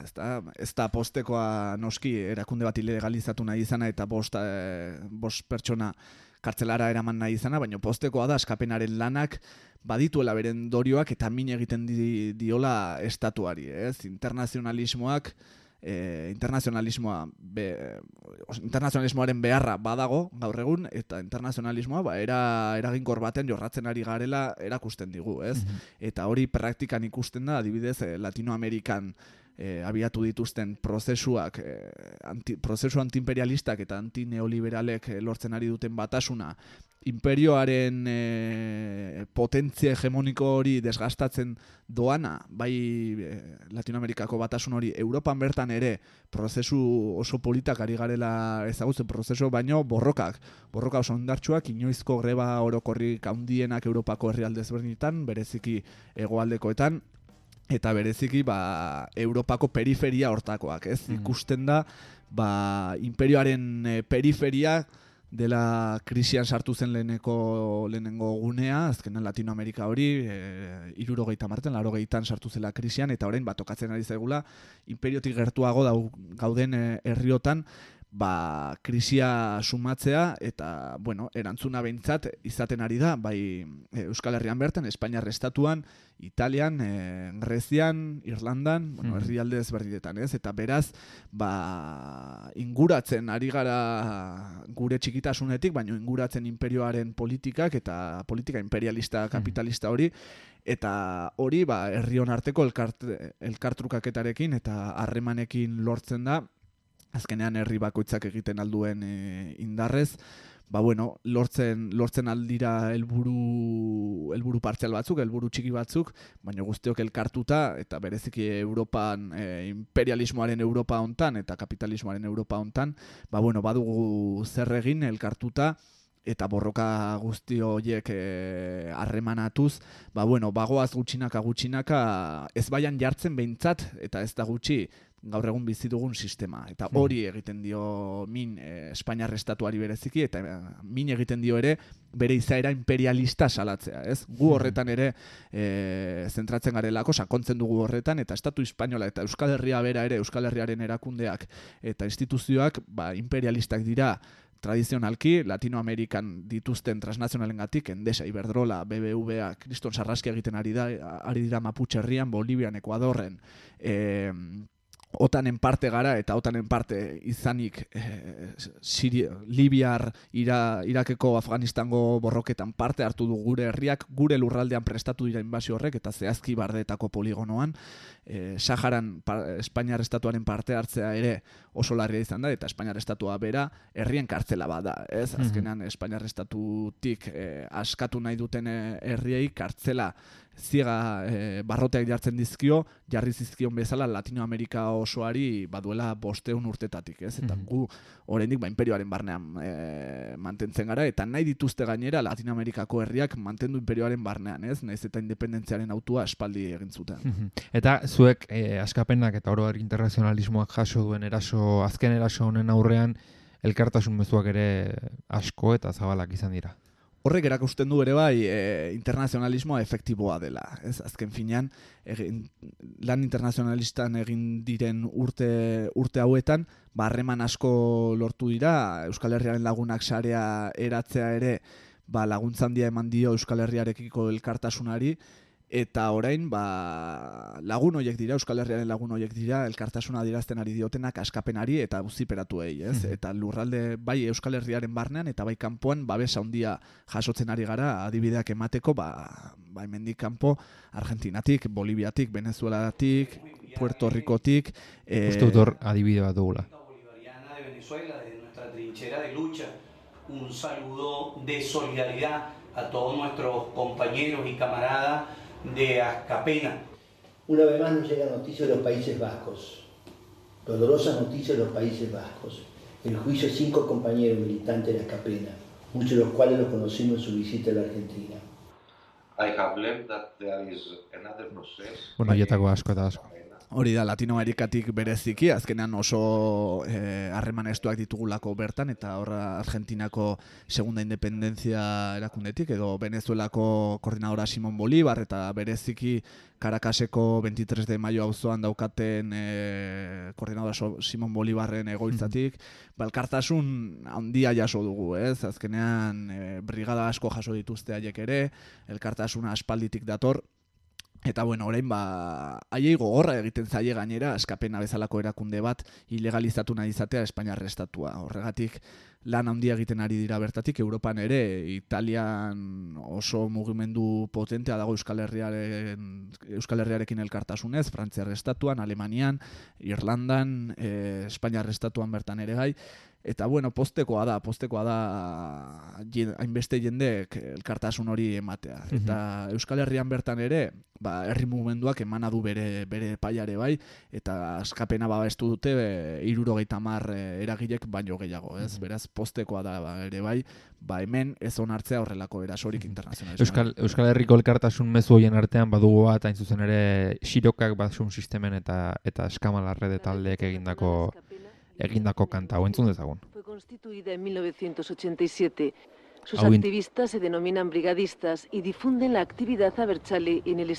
Ez da postekoa noski erakunde bat ilegalizatu nahi izana eta bost pertsona kartzelara eraman nahi izana, baina postekoa da askapenaren lanak badituela beren dorioak eta min egiten diola estatuari. Internazionalismoaren beharra badago gaur egun, eta internazionalismoa eraginkor baten jorratzen ari garela erakusten digu, ez? Eta hori praktikan ikusten da, adibidez, Latinoamerikan abiatu dituzten prozesu antiimperialistak eta antineoliberalek lortzen ari duten batasuna, imperioaren potentzia hegemoniko hori desgastatzen doana, bai Latinoamerikako batasun hori, Europan bertan ere prozesu oso politak ari garela ezagutzen prozesu, baino borroka oso ondartsuak, inoizko greba orokorrik handienak Europako herrialde ezberdinetan, bereziki hegoaldekoetan, eta bereziki Europako periferia hortakoak, ez? Ikusten da imperioaren periferia dela krisian sartu zen lehenengo gunea, azkenan Latinoamerika hori, 70-an, 80-an sartu zela krisian, eta orain tokatzen ari zaigula, imperiotik gertuago gauden herriotan, krisia sumatzea, eta, erantzuna behintzat izaten ari da, bai Euskal Herrian bertan, Espainiar estatuan, Italian, Grezian, Irlandan, herrialde ezberdinetan, ez? Eta beraz, inguratzen ari gara gure txikitasunetik, baina inguratzen imperioaren politikak eta politika imperialista, kapitalista hori, eta hori, herrion arteko elkartrukaketarekin eta harremanekin lortzen da, azkenean herri bakoitzak egiten alduen indarrez, lortzen aldira helburu partzial batzuk, helburu txiki batzuk, baina guztiok elkartuta, eta bereziki Europan, imperialismoaren Europa hontan eta kapitalismoaren Europa hontan, badugu zer egin elkartuta, eta borroka guzti horiek harremanatuz, bagoaz gutxinaka ez baian jartzen behintzat, eta ez da gutxi, gaur egun bizi dugun sistema. Eta hori egiten dio min Espainiar estatuari bereziki, eta min egiten dio ere bere izaera imperialista salatzea, ez? Gu horretan ere zentratzen garelako, sakontzen dugu horretan, eta Estatu Espainola eta Euskal Herria bera ere, Euskal Herriaren erakundeak eta instituzioak imperialistak dira tradizionalki, Latinoamerikan dituzten transnazionalengatik, Endesa, Iberdrola, BBVA, kriston sarraskia egiten ari dira Mapuche herrian, Bolivian, Ekuadorren, OTANen parte gara eta OTANen parte izanik Libiar, Irakeko, Afganistango borroketan parte hartu du gure herriak, gure lurraldean prestatu dira inbasio horrek eta zehazki Bardeetako poligonoan, Saharan Espainiar estatuaren parte hartzea ere oso larria izan da eta Espainiar estatua bera herrien kartzela bada, ez? Azkenean Espainiar estatutik askatu nahi duten herriei kartzela ziega barroteak jartzen dizkio, jarri zizkion bezala Latinoamerika osoari baduela 500 urtetatik, ez? Eta gu oraindik inperioaren barnean mantentzen gara eta nahi dituzte gainera Latinoamerikako herriak mantendu inperioaren barnean, ez? Naiz eta independentziaren autua aspaldi egin zuten. Eta zuek askapenak eta oro internazionalismoak jaso duen azken eraso honen aurrean elkartasun mezuak ere asko eta zabalak izan dira. Horrek erakusten du ere bai internazionalismoa efektiboa dela. Ez azken finean lan internazionalistan egin diren urte hauetan harreman asko lortu dira, Euskal Herriaren lagunak sarea eratzea ere laguntza handia eman dio Euskal Herriarekiko elkartasunari. Eta orain, lagun horiek dira, Euskal Herriaren lagun horiek dira, elkartasuna adierazten ari diotenak askapenari eta auziperatuei, ez? Eta lurralde bai Euskal Herriaren barnean eta bai kanpoan babes handia jasotzen ari gara adibideak emateko, hemendik kanpo Argentinatik, Boliviatik, Venezuelatik, Puerto Ricotik. Uste dut hor adibide bat dugula. Bolivariana de Venezuela, de nuestra trinchera de lucha, un saludo de solidaridad a todos nuestros compañeros y camaradas de Askapena. Una vez más nos llega noticia de los Países Vascos, dolorosas noticias de los Países Vascos. El juicio de 5 compañeros militantes de Askapena, muchos de los cuales los conocimos en su visita a la Argentina. I have learned that there is another process. Bueno, jetako asko eta asko. Hori da, Latinoamerikatik bereziki, azkenean oso harreman estuak ditugulako bertan, eta horra Argentinako segunda independentzia erakundetik, edo Venezuelako koordinadora Simón Bolívar, eta bereziki Caracaseko 23 de mayo auzoan daukaten koordinadora Simón Bolívarren egoitzatik, elkartasun handia jaso dugu, ez? Azkenean brigada asko jaso dituzte haiek ere, elkartasuna aspalditik dator. Eta bueno, orain haiei gogorra egiten zaie gainera Askapena bezalako erakunde bat ilegalizatu nahi izatea Espainiar estatua. Horregatik lan handia egiten ari dira bertatik, Europan ere, Italian oso mugimendu potentea dago Euskal Herriarekin elkartasunez, Frantziar estatuan, Alemanian, Irlandan, Espainiar estatuan bertan ere gai. Eta bueno, postekoa da hainbeste jendeek elkartasun hori ematea. Eta Euskal Herrian bertan ere, herri mugimenduak emana du bere epaiare bai, eta Askapena babestu dute 70 eragilek baino gehiago, ez? Beraz, postekoa da ere bai, hemen ez onartzea horrelako erasorik internazionalismoa. Euskal Herriko elkartasun mezu horien artean badugu bat, hain zuzen ere Xirokak basun sistemen eta Eskamalarrede taldeek egindako kanta, hau entzun dezagun. Fue constituida en 1987. Sus activistas se denominan brigadistas y difunden la actividad abertzale en el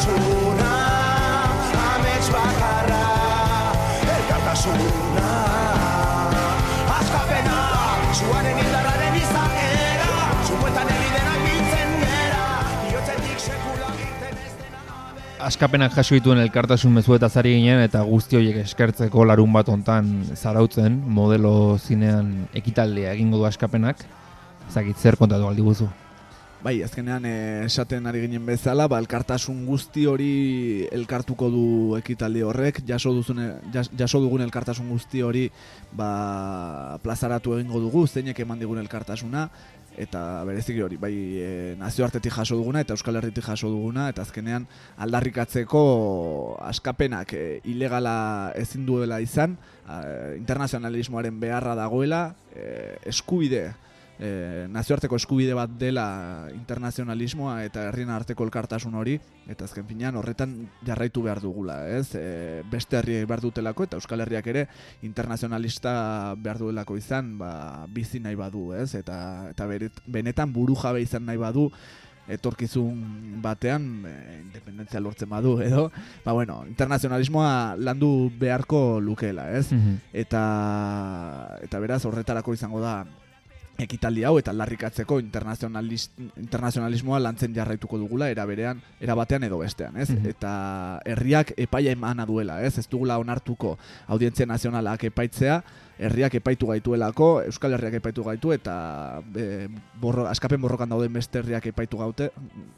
elkartasuna, amets bakarra, elkartasuna, askapena, zuaren indarraren izaera, zuetan ebidenak biltzen gera, bihotzetik sekula egiten ez dena. Askapenak jaso dituen elkartasun mezuetaz ari ginen eta guzti horiek eskertzeko larun bat hontan zarautzen modelo zinean ekitaldea egingo du Askapenak. Ezagit zer kontatu aldi guzu. Bai, azkenean esaten ari ginen bezala, elkartasun guzti hori elkartuko du ekitaldi horrek, jaso dugun elkartasun guzti hori plazaratu egingo dugu, zeinek eman digun elkartasuna, eta bereziki hori, bai nazioartetik jaso duguna eta Euskal Herritik jaso duguna, eta azkenean aldarrikatzeko Askapenak ilegala ezin duela izan, internazionalismoaren beharra dagoela, eskubide, nazioarteko eskubide bat dela internazionalismoa eta herrien arteko elkartasun hori, eta azken finean horretan jarraitu behar dugula, ez? Beste herriek behar dutelako eta Euskal Herriak ere internazionalista behar duelako izan, bizi nahi badu, ez? Eta benetan burujabe izan nahi badu, etorkizun batean, independentzia lortzen badu, edo, internazionalismoa landu beharko lukeela, ez? Eta beraz horretarako izango da ekitaldi hau eta aldarrikatzeko internazionalismoa lantzen jarraituko dugula era batean edo bestean, ez? Eta herriak epaia emana duela, ez? Ez dugula onartuko audientzia nazionalak epaitzea, herriak epaitu gaituelako, Euskal Herriak epaitu gaitu eta Askapen borrokan dauden beste herriak epaitu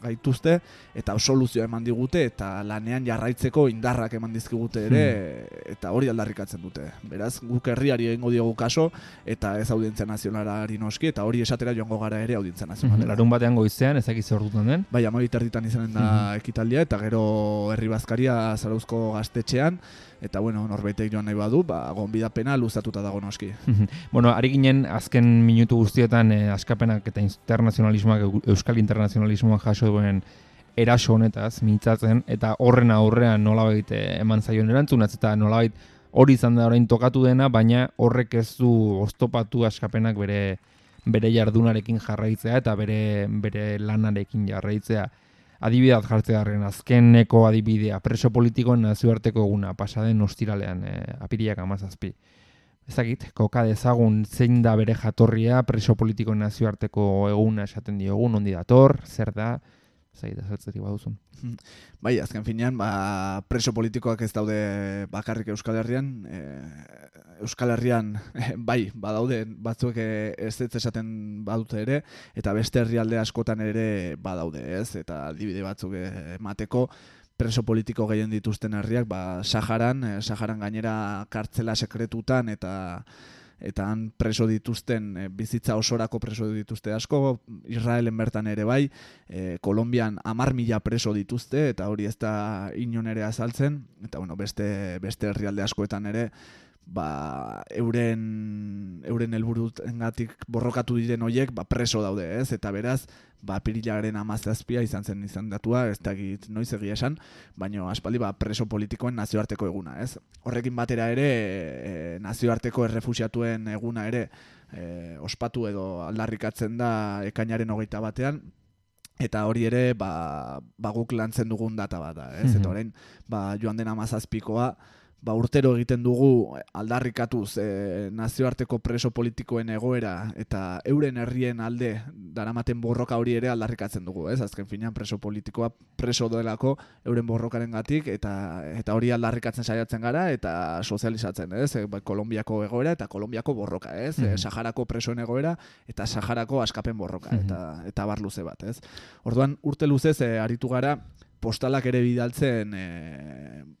gaituzte eta soluzioa eman digute eta lanean jarraitzeko indarrak eman dizkigute ere eta hori aldarrikatzen dute. Beraz, guk herriari egingo diogu kaso eta ez audientzia nazionalari noski eta hori esatera joango gara ere audientzia nazionalera. Larun batean goizean, ezak zer ordutan den? Bai, 12:00 izanen da ekitaldia eta gero herri bazkaria Zarauzko gaztetxean eta norbaitek joan nahi badu, gonbidapena luzatuta dago noski. Ari ginen azken minutu guztietan Askapenak eta internazionalismoak, Euskal internazionalismoa jaso duen eraso honetaz mintzatzen eta horren aurrean nolabait eman zaion erantzunaz eta nolabait hori izan da orain tokatu dena, baina horrek ez du oztopatu Askapenak bere jardunarekin jarraitzea eta bere lanarekin jarraitzea. Adibidea jartzearen azkeneko adibidea preso politikoen nazioarteko eguna pasaden ostiralean apirilak 17. Ezagit, koka dezagun zein da bere jatorria preso politikoen nazioarteko eguna esaten diogun, ondi dator, zer da, ezagit azaltzerik baduzun. Bai, azken finean, preso politikoak ez daude bakarrik Euskal Herrian, Euskal Herrian bai, badaude batzuek ez esaten badute ere, eta beste herrialde askotan ere badaude, ez? Eta adibide batzuk emateko preso politiko gehien dituzten herriak, Saharan gainera kartzela sekretutan eta han preso dituzten, bizitza osorako preso dituzte asko, Israelen bertan ere bai, Kolonbian 10.000 preso dituzte, eta hori ez da inon ere azaltzen, eta beste herrialde askoetan ere, euren helburuengatik borrokatu diren horiek preso daude, ez? Eta beraz, apirilaren 17 izan zen izendatua, ez dakit noiz egia esan, baina aspaldi preso politikoen nazioarteko eguna, ez? Horrekin batera ere, nazioarteko errefuxiatuen eguna ere ospatu edo aldarrikatzen da ekainaren 21, eta hori ere guk lantzen dugun data bat da, ez? Eta orain, joan den 17koa, urtero egiten dugu aldarrikatuz nazioarteko preso politikoen egoera eta euren herrien alde daramaten borroka hori ere aldarrikatzen dugu, ez? Azken finean preso politikoa preso delako euren borrokarengatik eta hori aldarrikatzen saiatzen gara eta sozializatzen, ez? Kolonbiako egoera eta Kolonbiako borroka, ez? Saharako presoen egoera eta Saharako askapen borroka eta bar luze bat, ez? Orduan urte luzez aritu gara postalak ere bidaltzen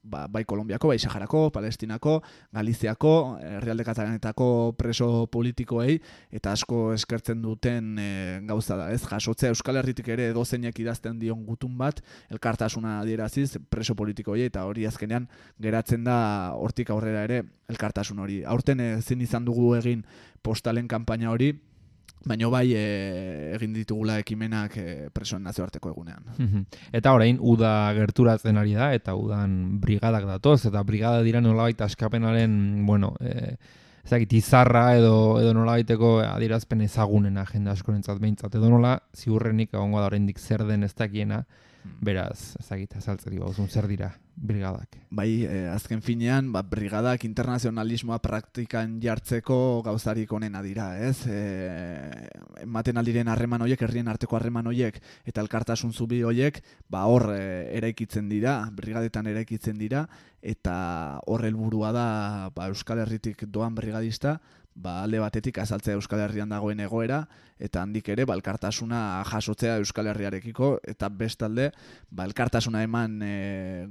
bai Kolonbiako, bai Saharako, Palestinako, Galiziako, herrialde katalanetako preso politikoei eta asko eskertzen duten gauza da, ez? Jasotzea Euskal Herritik ere edozeinek idazten dion gutun bat, elkartasuna adieraziz preso politikoei eta hori azkenean geratzen da hortik aurrera ere elkartasun hori. Aurten ezin izan dugu egin postalen kanpaina hori, baina bai egin ditugula ekimenak presoen nazioarteko egunean. Eta orain, uda gerturatzen ari da, eta udan brigadak datoz, eta brigada dira nolabait Askapenaren, ezagit izarra edo nola baiteko adierazpen ezagunena jende askorentzat behintzat, edo nola ziurrenik egongo da oraindik zer den ez dakiena, beraz, ezagit, azaltzeri bauzun, zer dira brigadak? Bai, azken finean, brigadak internazionalismoa praktikan jartzeko gauzarik onena dira, ez? Ematen aldiren harreman horiek, herrien arteko harreman horiek, eta elkartasun zubi horiek, hor eraikitzen dira, brigadetan eraikitzen dira, eta hor helburua da Euskal Herritik doan brigadista, alde batetik azaltzea Euskal Herrian dagoen egoera, eta handik ere elkartasuna jasotzea Euskal Herriarekiko, eta bestalde elkartasuna eman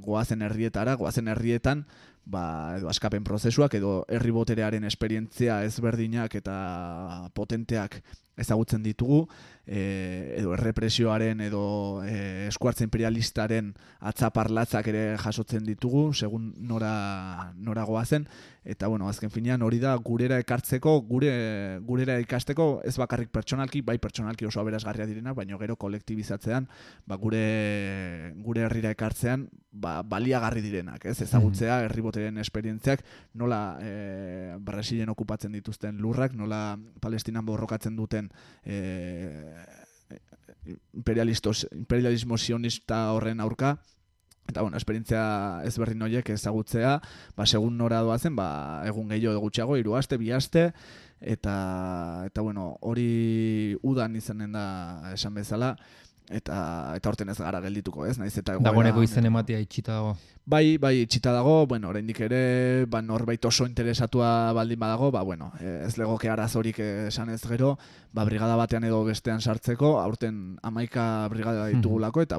goazen herrietan, edo askapen prozesuak, edo herri boterearen esperientzia ezberdinak eta potenteak ezagutzen ditugu, edo errepresioaren edo eskuartze imperialistaren atzaparlatzak ere jasotzen ditugu, segun nora goazen, eta azken finean hori da gurera ekartzeko, gurera ikasteko, ez bakarrik pertsonalki, bai pertsonalki oso aberasgarria direnak, baina gero kolektibizatzean, gure herrira ekartzean, baliagarri direnak, ez? Ezagutzea herri botereen esperientziak, nola Brasilen okupatzen dituzten lurrak, nola Palestinan borrokatzen duten imperialismo sionista horren aurka, eta esperientzia ezberdin horiek ezagutzea, segun nora doazen, egun gehiago gutxiago, 3 aste, 2 aste, eta hori udan izanen da esan bezala, eta horten ez gara geldituko, ez? Naiz eta dagoeneko izen ematea itxita dago. Bai, itxita dago, oraindik ere, norbait oso interesatua baldin badago, ez legoke arazorik esan ez gero, brigada batean edo bestean sartzeko, aurten 11 brigada ditugulako, eta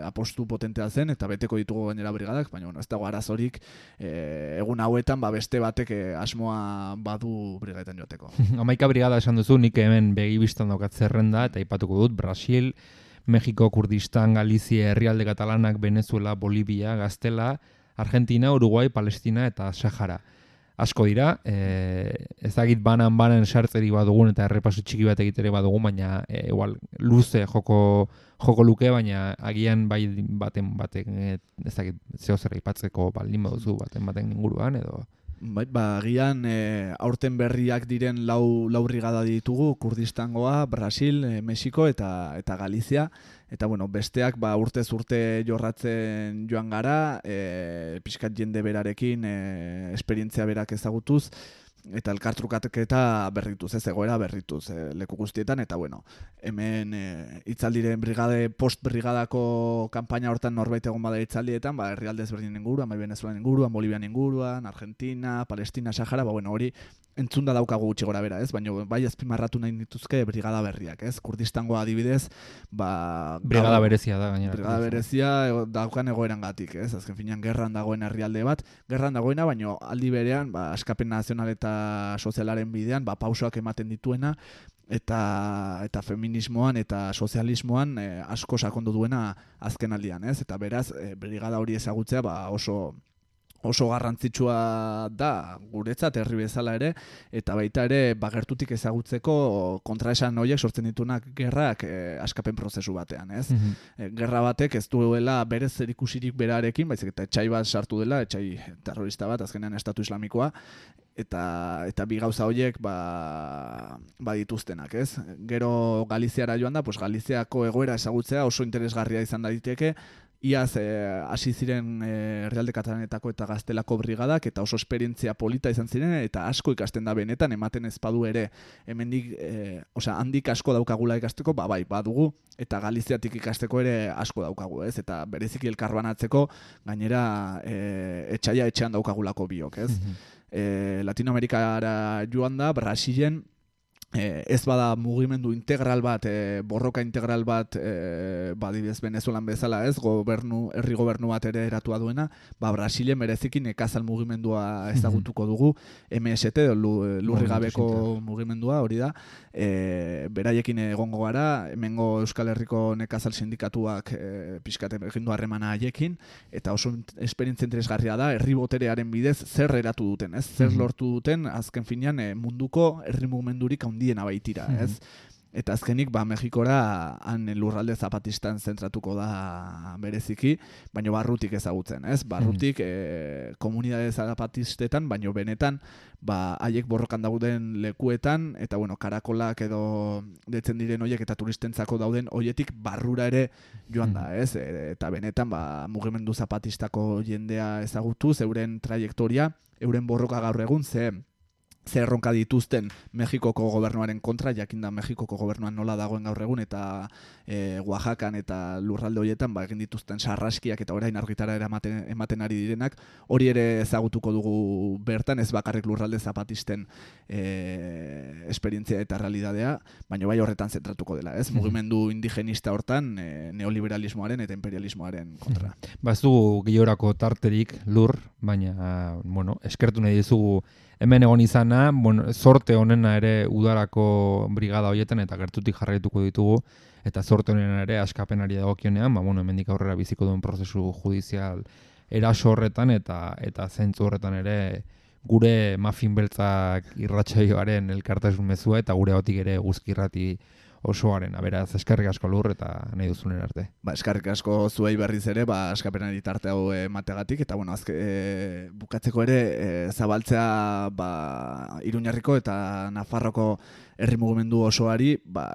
apostu potentea zen, eta beteko ditugu gainera brigadak, baina ez dago arazorik egun hauetan, beste batek asmoa badu brigadetan joateko. 11 brigada esan duzu, nik hemen begibistan daukat zerrenda, eta aipatuko dut, Brasil, Mexiko, Kurdistan, Galizia, herrialde katalanak, Venezuela, Bolivia, Gaztela, Argentina, Uruguai, Palestina eta Sahara. Asko dira, ezagit banan sartzeri badugun eta errepasu txiki bat egitere badugun, baina igual luze joko luke, baina agian baten ezagit zehozera ipatzeko baldin baduzu baten inguruan edo... Agian aurten berriak diren lau brigada ditugu, Kurdistangoa, Brasil, Mexiko eta Galizia. Eta besteak urtez urte jorratzen joan gara, pixkat jende berarekin, esperientzia berak ezagutuz, eta elkartrukaketa berrituz, ez egoera berrituz leku guztietan, eta hemen itzaldiren post-brigadako kanpaina hortan norbait egon bada itzaldietan, herrialde ezberdinen inguruan, Venezuelan inguruan, Bolivian inguruan, Argentina, Palestina, Sahara, hori entzunda daukagu gutxi gora bera, ez? Baina bai azpimarratu nahi dituzke brigada berriak, ez? Kurdistangoa adibidez, brigada berezia da gainera. Brigada berezia daukan egoerangatik, ez? Azken finean gerran dagoen herrialde bat, gerran dagoena, baina aldi berean, askapen nazional eta sozialaren bidean, pausoak ematen dituena, eta feminismoan eta sozialismoan asko sakondu duena azken aldian, ez? Eta beraz, brigada hori ezagutzea oso garrantzitsua da guretzat herri bezala ere, eta baita ere gertutik ezagutzeko kontraesan horiek sortzen dituenak gerrak askapen prozesu batean, ez? Gerra batek ez duela berez zerikusirik berarekin, baizik eta etxai bat sartu dela, etxai terrorista bat, azkenean estatu islamikoa, eta bi gauza horiek dituztenak, ez? Gero Galiziara joan da, Galiziako egoera ezagutzea oso interesgarria izan daiteke, iaz hasi ziren herrialde katalanetako eta Gaztelako brigadak, eta oso esperientzia polita izan ziren, eta asko ikasten da benetan, ematen ez badu ere, hemendik, handik asko daukagula ikasteko, badugu, eta Galiziatik ikasteko ere asko daukagu, ez? Eta bereziki elkarbanatzeko, gainera etxaia etxean daukagulako biok, ez? Latinoamerikara joan da, Brasilen, ez bada mugimendu integral bat, borroka integral bat, badibidez Venezuelan bezala, ez, herri gobernu bat ere eratua duena, Brasilen bereziki nekazal mugimendua ezagutuko dugu, MST, lurri gabeko mugimendua, hori da, beraiekin egongo gara, hemengo Euskal Herriko nekazal sindikatuak pixkate egindu harremana haiekin, eta oso esperientzia interesgarria da, herri boterearen bidez zer eratu duten, ez, zer lortu duten, azken finean munduko herri mugimendurik handiena baitira, ez? Eta azkenik, Mexikora han lurralde zapatistan zentratuko da bereziki, baino barrutik ezagutzen, ez? Barrutik komunidade zapatistetan, baino benetan, haiek borrokan dauden lekuetan, eta karakolak edo detzen diren hoiek eta turistentzako dauden hoietik barrura ere joan da, ez? Eta benetan, mugimendu zapatistako jendea ezagutu, euren trajektoria, euren borroka gaur egun, ze erronka dituzten Mexikoko gobernuaren kontra, jakinda Mexikoko gobernuan nola dagoen gaur egun, eta Oaxacan eta lurralde horietan egin dituzten sarraskiak eta orain argitara ematen ari direnak, hori ere ezagutuko dugu bertan, ez bakarrik lurralde zapatisten esperientzia eta realidadea, baina bai horretan zentratuko dela, ez? Mugimendu indigenista hortan neoliberalismoaren eta imperialismoaren kontra. Ez dugu gehiorako tarterik lur, baina, eskertu nahi dizugu hemen egon izana, sorte honena ere udarako brigada horietan eta gertutik jarraituko ditugu, eta sorte honena ere askapenari dagokionean, hemendik aurrera biziko duen prozesu judizial eraso horretan eta zentzu horretan ere gure Muffin Beltzak irratsaioaren elkartasun mezua eta gure hotik ere Eguzki Irrati osoaren, beraz, eskerrik asko lur eta nahi duzunen arte. Eskerrik asko zuei berriz ere, askapenari tarte hau emategatik, eta bukatzeko ere zabaltzea Iruñarriko eta Nafarroko herri mugimendu osoari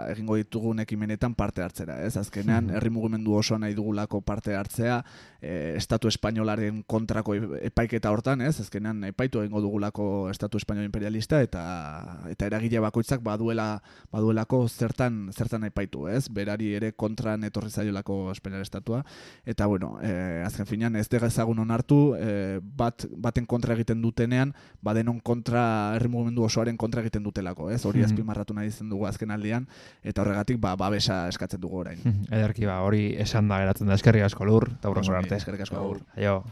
egingo ditugun ekimenetan parte hartzera, ez? Azkenean, herri mugimendu osoa nahi dugulako parte hartzea, Estatu Espainolaren kontrako epaiketa hortan, ez? Azkenean, epaitu egingo dugulako Estatu Espainol imperialista eta eragile bakoitzak baduelako zertan epaitu, ez? Berari ere kontran etorri zaiolako Espainiar estatua, eta azken finean ez dezagun onartu, baten kontra egiten dutenean, denon kontra, herri mugimendu osoaren kontra egiten dutelako, ez? Hori azpimarratu nahi izan dugu azken aldean, eta horregatik babesa eskatzen dugu orain. Ederki hori esan da geratzen da, eskerrik asko lur, eta hurrengo arte. Eskerrik asko agur. Aio.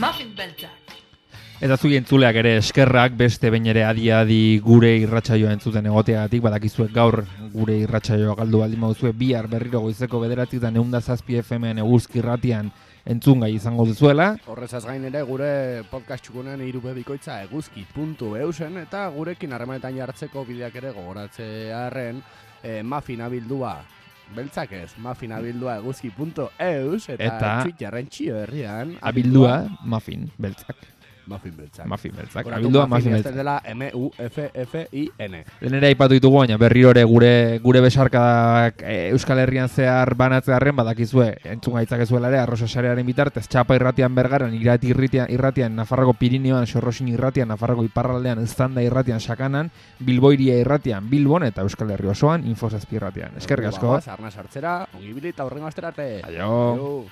Muffin Beltzak. Eta zui entzuleak ere eskerrak, beste behin ere adi gure irratsaioa entzuten egoteagatik, badakizuek gaur gure irratsaioa galdu baldin baduzue bihar berriro goizeko 9:07 FM-en Eguzki Irratian entzungai izango duzuela. Horrezaz gain ere gure podcast txukunen irubebikoitza eguzki.eusen eta gurekin harremanetan jartzeko bideak ere gogoratzearen Muffin abildua beltzak ez, Muffin abildua eguzki.eus eta Twitterren txio herrian abildua Muffin Beltzak. Muffin Beltzak. Abildua Muffin Beltzak. Dela M-U-F-F-I-N. Denera aipatu ditugu, baina berriro ere gure besarkadak Euskal Herrian zehar banatzearren badakizue, entzun gaitzakezuela ere, Arrosa Sarearen bitartez, Txapa Irratian Bergaran, Irati Irratian, Nafarroko Pirineoan, Sorrosin Irratian, Nafarroko Iparraldean, Eztanda Irratian, Sakanan, Bilboiria Irratian, Bilbon eta Euskal Herri osoan, Info 7 Irratian. Eskerrik asko. Arna sartzera, ongibili eta horrengo asterarte. Aio.